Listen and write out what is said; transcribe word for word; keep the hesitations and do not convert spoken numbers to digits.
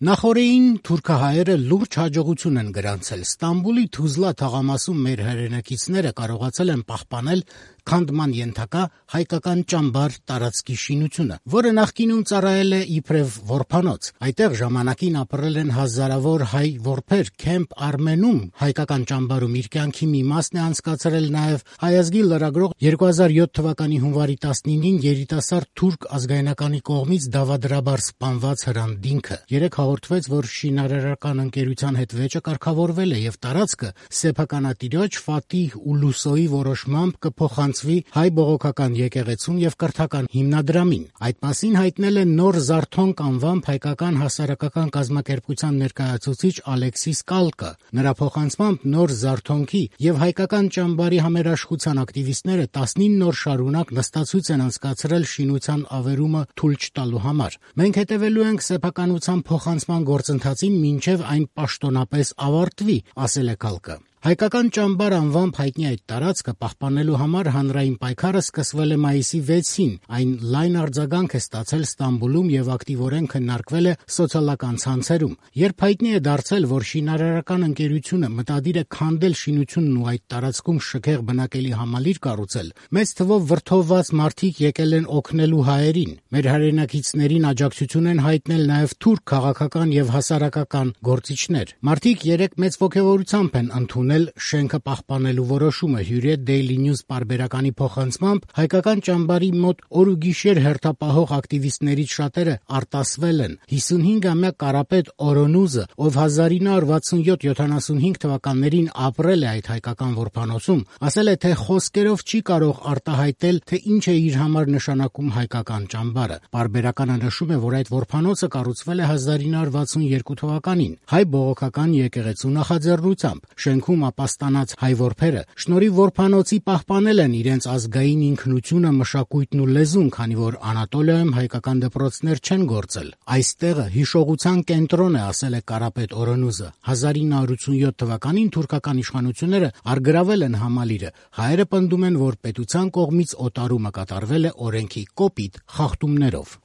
Նախօրեին թուրքահայերը լուրջ հաջողություն են գրանցել. Ստամբուլի Թուզլա թաղամասում մեր հայրենակիցները կարողացել են պահպանել քանդման ենթակա հայկական ճամբար տարածքի շինությունը, որը նախկինում ծառայել է իբրև որբանոց։ Այդտեղ ժամանակին ապրել են հազարավոր հայ որբեր։ Քեմփ Արմենում հայկական ճամբարում իր կյանքի մի մասն է անցկացրել նաև հայ ազգի լրագրող երկու հազար յոթ թվականի հունվարի տասնինին երիտասարդ թուրք ազգայնականի կողմից դավադրաբար սպանված Հրանտ Դինքը։ Երեք հաղորդվեց, որ շինարարական ընկերության հետ վեճը կարգավորվել է եւ տարածքը սեփականատիրոջ Ֆաթիհ Ուլուսոյի որոշմամբ կփոխանցվի հայ բողոքական եկեղեցուն եւ կրթական հիմնադրամին։ Այդ մասին հայտնել է Նոր Զարթոնք անվամբ հայկական հասարակական կազմակերպության ներկայացուցիչ Ալեքսիս Կալկը։ Նրա փոխանցմամբ Նոր Զարթոնքի եւ հայկական ճամբարի համերաշխության ակտիվիստները տասնինը օր շարունակ նստացույց են անցկացրել շինության ավերումը թույլ չտալու համար։ Մենք հետևելու ենք սեփականության փոխանցման գործընթացին մինչև այն պաշտոնապես ավարտվի, ասել է Կալկը։ Հայկական ճամբար անվամբ հայտնի այդ տարածքը պահպանելու համար հանրային պայքարը սկսվել է մայիսի վեցին։ Այն լայն արձագանք է ստացել Ստամբուլում եւ ակտիվորեն քննարկվել է սոցիալական ցանցերում։ Երբ հայտնի է դարձել, որ շինարարական ընկերությունը մտադիր է քանդել շինությունն ու այդ տարածքում շքեղ բնակելի համալիր կառուցել, մեծ թվով վրդովված մարդիկ եկել են օգնելու հայերին։ Մեր հայրենակիցներին աջակցություն են հայտնել նաեւ թուրք քաղաքական եւ հասարակական գործիչներ։ Մարդիկ երեք մեծ ոգևորությամբ են ընդունել շենքը պահպանելու որոշումը։ Հյուրիետ Daily News պարբերականի փոխանցմամբ հայկական ճամբարի մոտ օր ու գիշեր հերթապահող ակտիվիստներից շատերը արտասվել են։ հիսունհինգամյա Կարապետ Օրոնուզը, ով հազար ինը հարյուր վաթսունյոթ յոթանասունհինգ թվականներին ապրել է այդ հայկական որբանոցում, ասել է, թե խոսքերով չի կարող արտահայտել, թե ինչ է իր համար նշանակում հայկական ճամբարը։ Պարբերականը նշում է, որ այդ որբանոցը կառուցվել է հազար ինը հարյուր վաթսունյերկու թվականին հայ բողոքական եկեղեցու նախաձեռնությամբ։ Շենքում ապաստանած հայ որբերը շնորհիվ որբանոցի պահպանել են իրենց ազգային ինքնությունը, մշակույթն ու լեզուն, քանի որ Անատոլիայում հայկական դպրոցներ չեն գործել։ Այստեղը հիշողության կենտրոն է, ասել է Կարապետ Օրոնուզը։ հազար ինը հարյուր ութսունյոթ թվականին թուրքական իշխանությունները առգրավել են համալիրը։ Հայերը պնդում են, որ պետության կողմից օտարումը կատարվել է օրենքի կոպիտ խախտումներով։